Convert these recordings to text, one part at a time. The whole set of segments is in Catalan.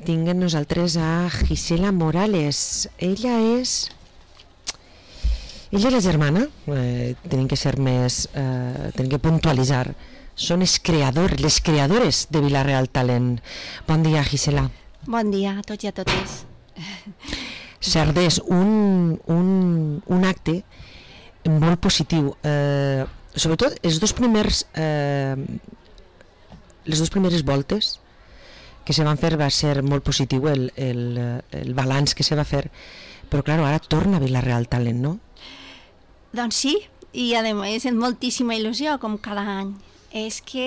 tinc amb nosaltres a Gisela Morales. Ella és la germana, tenim que ser més, tenim que puntualitzar. Són les creadores de Vila-real Talent. Bon dia, Gisela. Bon dia a tots i a totes. Cerdès, un acte molt positiu. Sobretot les dues primeres voltes que se van fer va ser molt positiu el balanç que se va fer, però clar, ara torna a Vila-real Talent, no? Doncs sí, i a més amb moltíssima il·lusió, com cada any. És que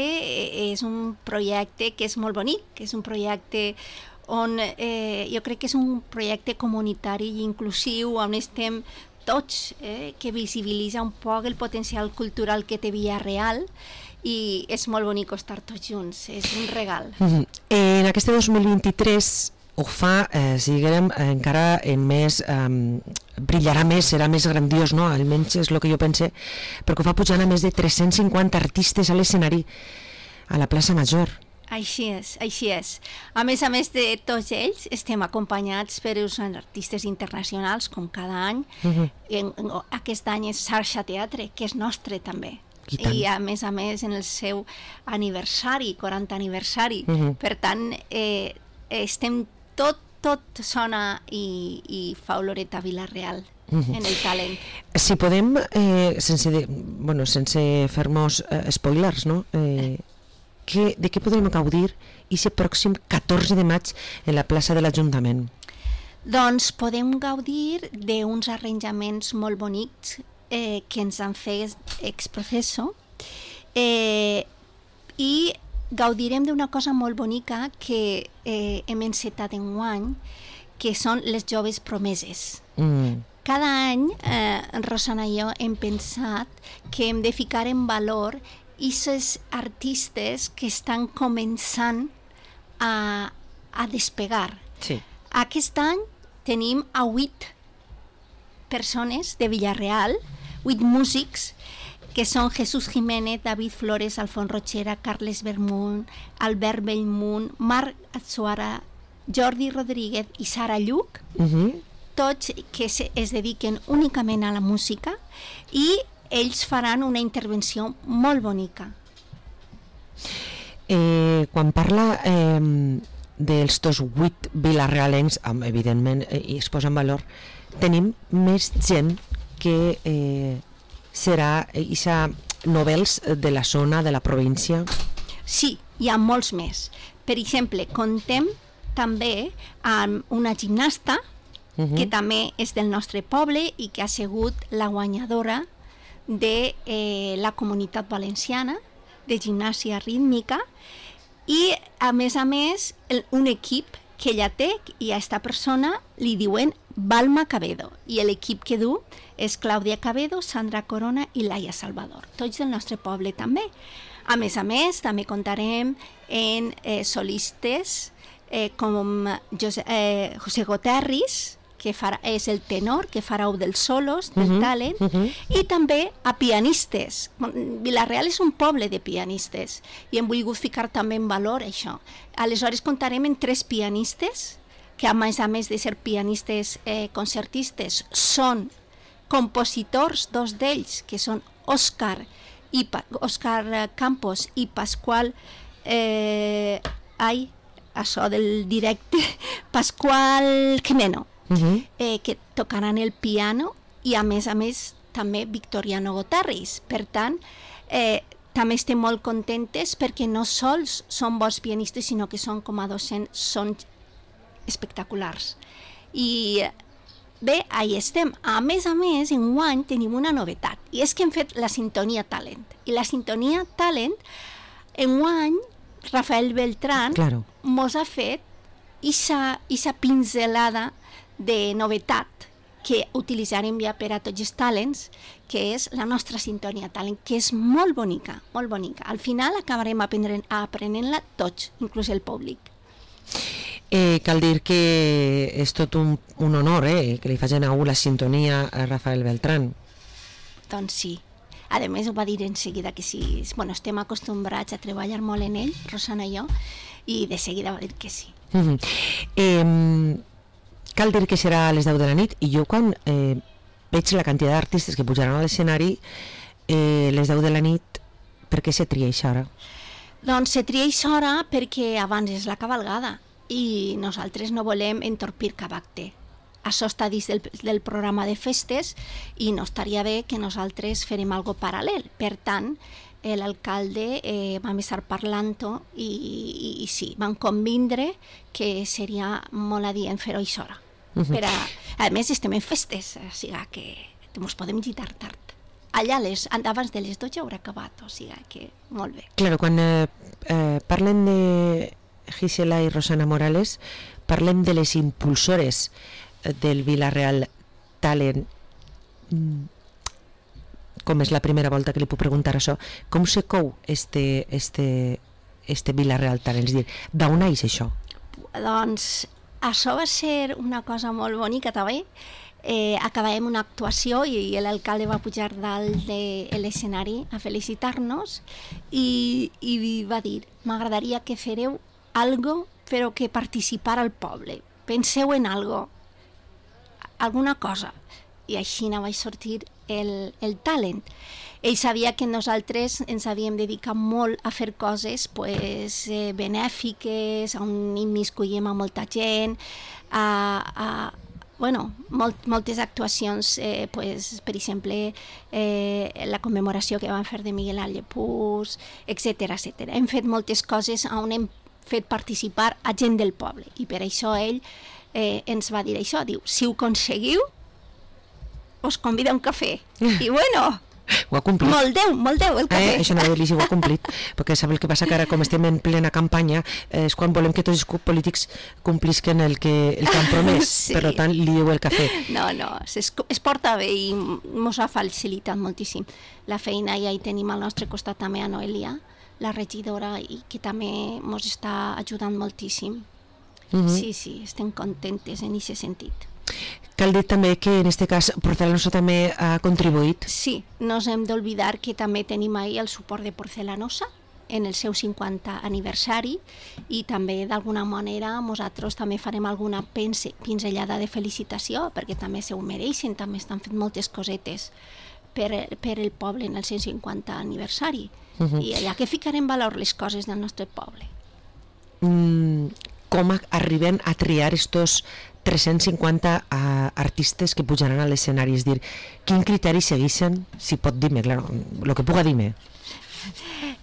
és un projecte que és molt bonic, que és un projecte on jo crec que és un projecte comunitari i inclusiu, on estem tots, que visibilitza un poc el potencial cultural que té Vila-real, i és molt bonic estar tots junts, és un regal. En aquest 2023 ho fa, diguem, encara en més, brillarà més, serà més grandiós, no? Almenys és el que jo pense, perquè ho fa pujant a més de 350 artistes a l'escenari, a la plaça Major. Així és, així és. A més de tots ells, estem acompanyats per uns artistes internacionals, com cada any. Aquest any és Xarxa Teatre, que és nostre també. I a més en el seu aniversari, 40 aniversari. Per tant, estem tot sona i fa oloreta a Vila-real en el talent. Si podem, sense fer-nos spoilers, no? De què podrem gaudir aquest pròxim 14 de maig en la plaça de l'Ajuntament? Doncs podem gaudir d'uns arranjaments molt bonics que ens han fet ex-professo, i gaudirem d'una cosa molt bonica que hem encetat enguany, que són les joves promeses. Cada any, Rosana i jo hem pensat que hem de ficar en valor aquests artistes que estan començant a despegar. Sí. Aquest any tenim a 8 persones de Vila-real, 8 músics, que són Jesús Jiménez, David Flores, Alfons Rochera, Carles Bermunt, Albert Bellmunt, Marc Atsuara, Jordi Rodríguez i Sara Lluc, tots que es dediquen únicament a la música, i ells faran una intervenció molt bonica. Quan parla dels 8 vilarealencs, evidentment, i es posa en valor, tenim més gent que serà novels de la zona, de la província? Sí, hi ha molts més. Per exemple, contem també amb una gimnasta que també és del nostre poble i que ha sigut la guanyadora de la Comunitat Valenciana de gimnàsia rítmica, i a més un equip que ella té, i a aquesta persona li diuen Balma Cabedo, i l'equip que du és Clàudia Cabedo, Sandra Corona i Laia Salvador, tots del nostre poble també. A més, també contarem en solistes com José Goterris, que és el tenor, que farà dels solos, del talent, i també a pianistes. Vila-real és un poble de pianistes, i hem volgut ficar també en valor això. Aleshores contarem amb 3 pianistes, que a més de ser pianistes concertistes, són compositors, 2 d'ells, que són Òscar Campos i Pasqual, això del directe, Pasqual Jimeno, que tocaran el piano, i a més també Victoriano Goterris. Per tant, també estem molt contentes perquè no sols són bons pianistes, sinó que són com a docents, són espectaculars. I bé, ahí estem. A més, enguany tenim una novetat, i és que hem fet la Sintonia Talent. I la Sintonia Talent, enguany, Rafael Beltrán mos ha fet aquesta pinzelada de novetat que utilitzarem ja per a tots els talents, que és la nostra Sintonia Talent, que és molt bonica, molt bonica. Al final acabarem aprenent-la tots, inclús el públic. Cal dir que és tot un honor que li facin a la sintonia a Rafael Beltrán. Doncs sí. A més, ho va dir en seguida que sí. Bueno, estem acostumbrats a treballar molt en ell, Rosana i jo, i de seguida va dir que sí. Cal dir que serà a les 10 de la nit, i jo quan veig la quantitat d'artistes que pujaran a l'escenari les 10 de la nit, per què se tria aquesta hora? Doncs se tria aquesta hora perquè abans és la cavalgada i nosaltres no volem entorpir cap acte. Això està dins del programa de festes i no estaria bé que nosaltres farem algo paral·lel. Per tant, l'alcalde vam estar parlant-ho i sí, vam convindre que seria molt adient fer-ho a aquesta hora. A més, estem en festes, o sigui que ens podem girar tard. Allà abans de les 12 haurà acabat, o sigui que molt bé. Claro, quan parlen de Gisela i Rosana Morales, parlem de les impulsores del Vila-real Talent. Com és la primera volta que li puc preguntar això, com se cou este Vila-real Talent? És a dir, d'on neix això? Doncs això va ser una cosa molt bonica també. Acabàvem una actuació i l'alcalde va pujar dalt de l'escenari a felicitar-nos i va dir: m'agradaria que fareu algo però que participara el poble, penseu en algo, alguna cosa. I així vaig sortir el talent. Ell sabia que nosaltres ens havíem dedicat molt a fer coses benèfiques, on immiscuïm a molta gent, moltes actuacions, per exemple, la commemoració que vam fer de Miguel Ángel Pous, etc. Hem fet moltes coses on hem fet participar a gent del poble i per això ell ens va dir això, diu, si ho aconseguiu, us convida a un cafè. I bueno, ho ha complit. Molt deu el cafè. Això no dir-li si ho ha complit, perquè sap el que passa que ara, com estem en plena campanya, és quan volem que tots els polítics complisquen el que han promès, sí. Per tant, li diu el cafè. No, es porta bé i ens ha facilitat moltíssim la feina, i ahí tenim al nostre costat també a Noelia, la regidora, i que també ens està ajudant moltíssim. Sí, estem contentes en aquest sentit. Cal dir també que en aquest cas Porcelanosa també ha contribuït. Sí, no ens hem d'oblidar que també tenim ahí el suport de Porcelanosa en el seu 50 aniversari i també d'alguna manera nosaltres també farem alguna pinzellada de felicitació perquè també se ho mereixen, també estan fent moltes cosetes per el poble en el 150 aniversari i allà que ficarem en valor les coses del nostre poble. Com arriben a triar estos 350 artistes que pujaran a l'escenari? És dir, quin criteri segueixen? Si pot dir-me, claro, el que puga dir-me.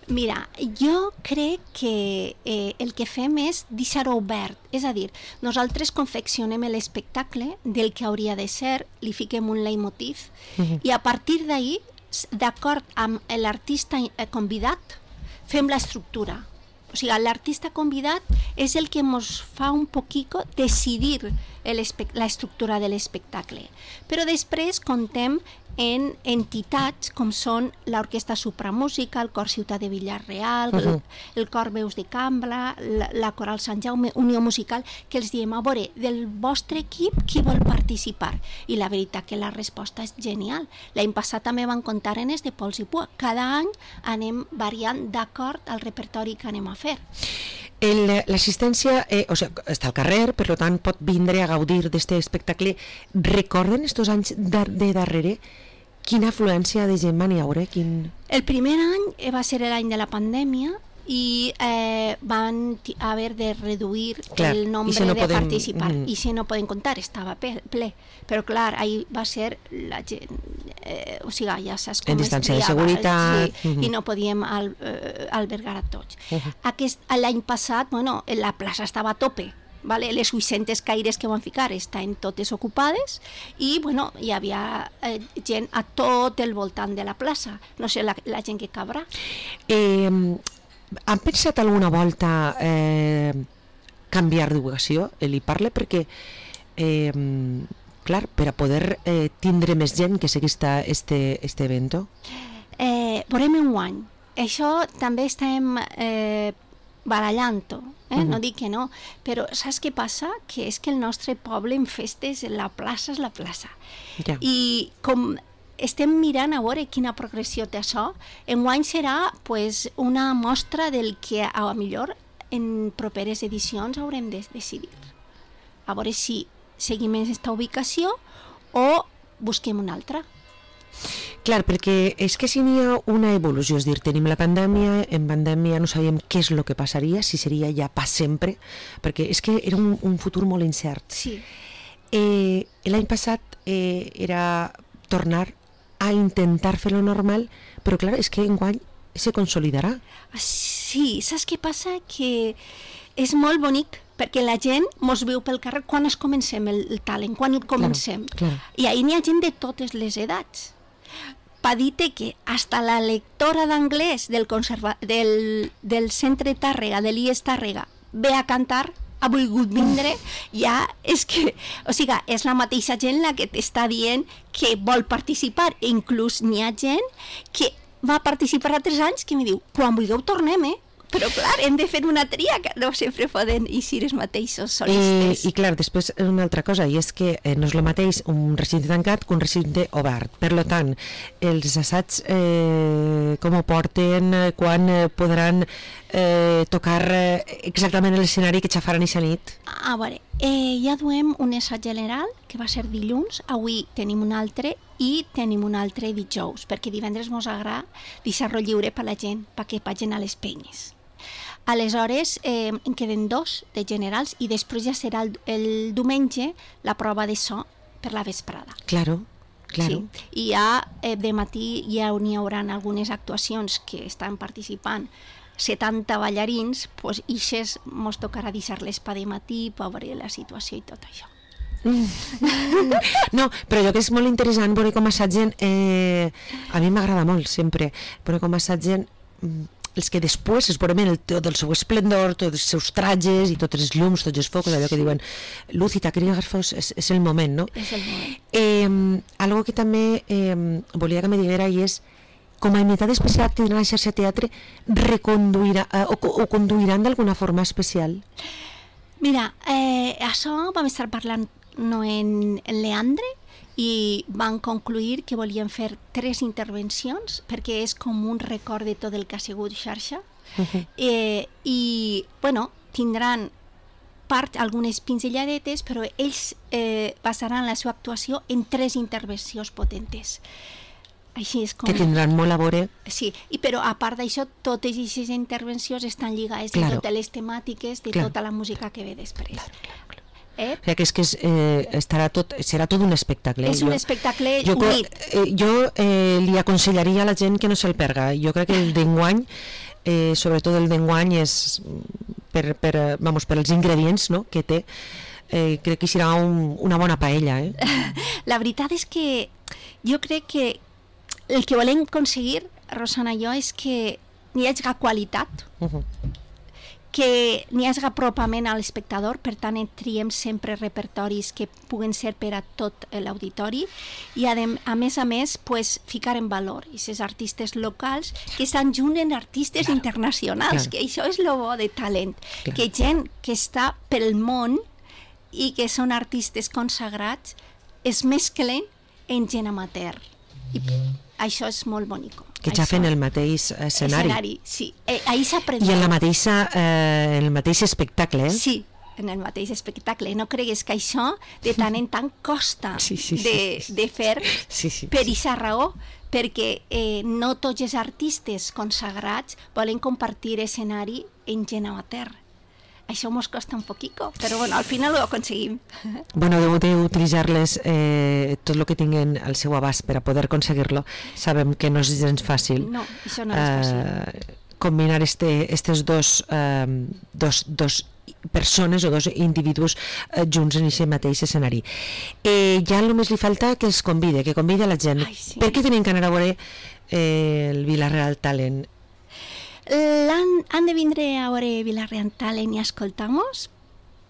Mira, jo crec que el que fem és deixar-ho obert, és a dir, nosaltres confeccionem l'espectacle del que hauria de ser, li fiquem un leitmotiv i a partir d'ahir, d'acord amb l'artista convidat, fem l'estructura. O sigui, l'artista convidat és el que ens fa un poquito decidir l'estructura de l'espectacle. Però després contem en entitats com són l'Orquestra Supramúsica, el Cor Ciutat de Vila-real, el Cor Veus de Cambra, la Coral Sant Jaume, Unió Musical, que els diem, a veure, del vostre equip, qui vol participar? I la veritat que la resposta és genial. L'any passat també van comptar en els de Pols i Pua. Cada any anem variant d'acord al repertori que anem a fer. L'assistència està al carrer, per tant pot vindre a gaudir d'aquest espectacle. Recorden aquests anys de darrere quina afluència de gent van hi haure? El primer any va ser l'any de la pandèmia i van haver de reduir el nombre de participar i si no poden comptar, estava ple, però clar, ahir va ser la gent, o sigui, ja saps com en distància de seguretat i no podíem albergar a tots. L'any passat, la plaça estava a tope, les 800 caires que van ficar estan totes ocupades i hi havia gent a tot el voltant de la plaça, no sé la gent que cabrà. Han pensat alguna volta canviar d'ubicació? Li parle perquè clar, per a poder tindre més gent que seguís este evento? Veurem un any. Això també estem barallant-ho, no dic que no, però saps què passa? Que és que el nostre poble en festes, la plaça és la plaça. I com estem mirant a veure quina progressió té això, enguany serà una mostra del que a millor en properes edicions haurem de decidir. A veure si seguim en aquesta ubicació o busquem una altra. Clar, perquè és que si n'hi ha una evolució, és dir, tenim la pandèmia, en pandèmia no sabíem què és el que passaria, si seria ja per sempre, perquè és que era un futur molt incert. Sí. L'any passat era tornar a intentar fer-lo normal, però clar, és que enguany se consolidarà. Sí, saps què passa? Que és molt bonic perquè la gent mos viu pel carrer quan es comencem el talent, quan el comencem. Claro. I ahir n'hi ha gent de totes les edats. Pa dir-te que hasta la lectora d'anglès del centre Tàrrega, de l'IES Tàrrega, ve a cantar, ha volgut vindre, ja és que, o sigui, és la mateixa gent la que t'està dient que vol participar, i inclús n'hi ha gent que va participar a 3 anys que em diu, quan vulgueu tornem, però clar, hem de fer una tria que no sempre poden eixir els mateixos solistes. I clar, després una altra cosa, i és que no és el mateix un recinte tancat que un recinte obert. Per tant, els assaigs com ho porten, quan podran tocar exactament l'escenari que xafaran aquesta nit? A veure, ja duem un assaig general que va ser dilluns, avui tenim un altre i tenim un altre dijous, perquè divendres mos agrada deixar-lo lliure per la gent, perquè vagin a les penyes. Aleshores, en queden 2 de generals i després ja serà el diumenge la prova de so per la vesprada. Claro. Sí. I ja de matí ja n'hi haurà algunes actuacions que estan participant 70 ballarins, doncs ixes mos tocarà deixar-les per de matí per veure la situació i tot això. No, però allò que és molt interessant veure com assaggen, a mi m'agrada molt sempre veure com assaggen els que després es veuen tot el seu esplendor, tots els seus trajes i tots els llums, tots els focus, allò que diuen luz i taquígrafos, és el moment, no? És el moment. Algo que també volia que me diguera i és com a unitat especial que tindrà la xarxa teatre reconduirà o conduiran d'alguna forma especial? Mira, això vam estar parlant en Leandre i van concluir que volien fer 3 intervencions perquè és com un record de tot el que ha sigut xarxa. I, bueno, tindran algunes pinzelladetes, però ells basaran la seva actuació en 3 intervencions potentes. Així és com... Que tindran molt a veure. Sí, però a part d'això, totes aquestes intervencions estan lligades de totes les temàtiques de tota la música que ve després. Claro. O sigui, que serà tot un espectacle. És un espectacle unit. Jo li aconsellaria a la gent que no se'l perga. Jo crec que el d'enguany, sobretot el d'enguany, és per els ingredients, no?, que té, crec que serà una bona paella. La veritat és que jo crec que el que volem aconseguir, Rosana i jo, és que n'hi hagi qualitat, que n'hi hagi apropament a l'espectador, per tant triem sempre repertoris que puguen ser per a tot l'auditori i a més, ficar en valor aquests artistes locals que estan junt en artistes internacionals, que això és el bo de talent, que gent que està pel món i que són artistes consagrats es mesclen en gent amateur. I això és molt bonic. Que ja fem el mateix escenari. Sí. Ahí s'aprèn. I en el mateix espectacle, Sí, en el mateix espectacle. No cregues que això de tant en tant costa de fer per aquesta raó, perquè no tots els artistes consagrats volen compartir escenari en gent amateur. Això mos costa un poquito, però bueno, al final ho aconseguim. Bueno, deu d'utilitzar-les tot el que tinguen al seu abast per a poder aconseguir-lo. Sabem que no és gens fàcil. No, això no és fàcil. Combinar estes dos persones o 2 individus junts en aquest mateix escenari. Ja només li falta que els convide, que convide a la gent. Per què tenen que anar a veure el Vila-real Talent? Han de vindre a veure Vila-real Talent i escoltar-nos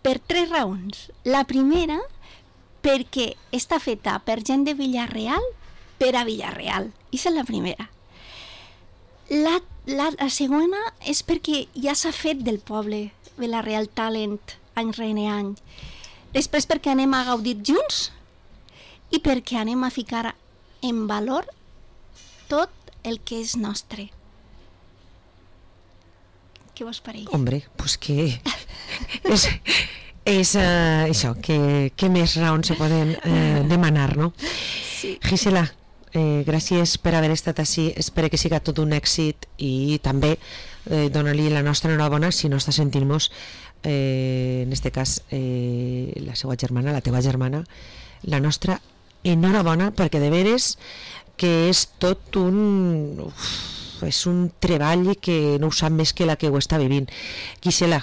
per 3 raons. La primera, perquè està feta per gent de Vila-real per a Vila-real. Aquesta és la primera. La segona és perquè ja s'ha fet del poble Vila-real Talent any rere any. Després perquè anem a gaudir junts i perquè anem a ficar en valor tot el que és nostre. Què vos pareix? Hombre, pues que és això, que més raons se poden demanar, no? Sí. Gisela, gràcies per haver estat així, espero que siga tot un èxit i també donar-li la nostra enhorabona si no està sentint-nos, en este cas la seva germana, la teva germana, la nostra enhorabona, perquè de veres que és tot és un treball que no ho sap més que la que ho està vivint. Gisela,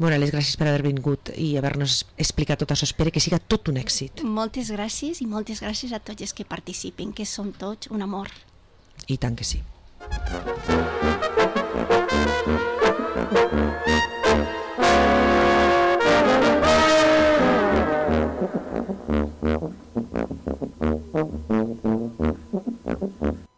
les gràcies per haver vingut i haver-nos explicat tot això. Espero que siga tot un èxit. Moltes gràcies i moltes gràcies a tots els que participen, que són tots un amor. I tant que sí.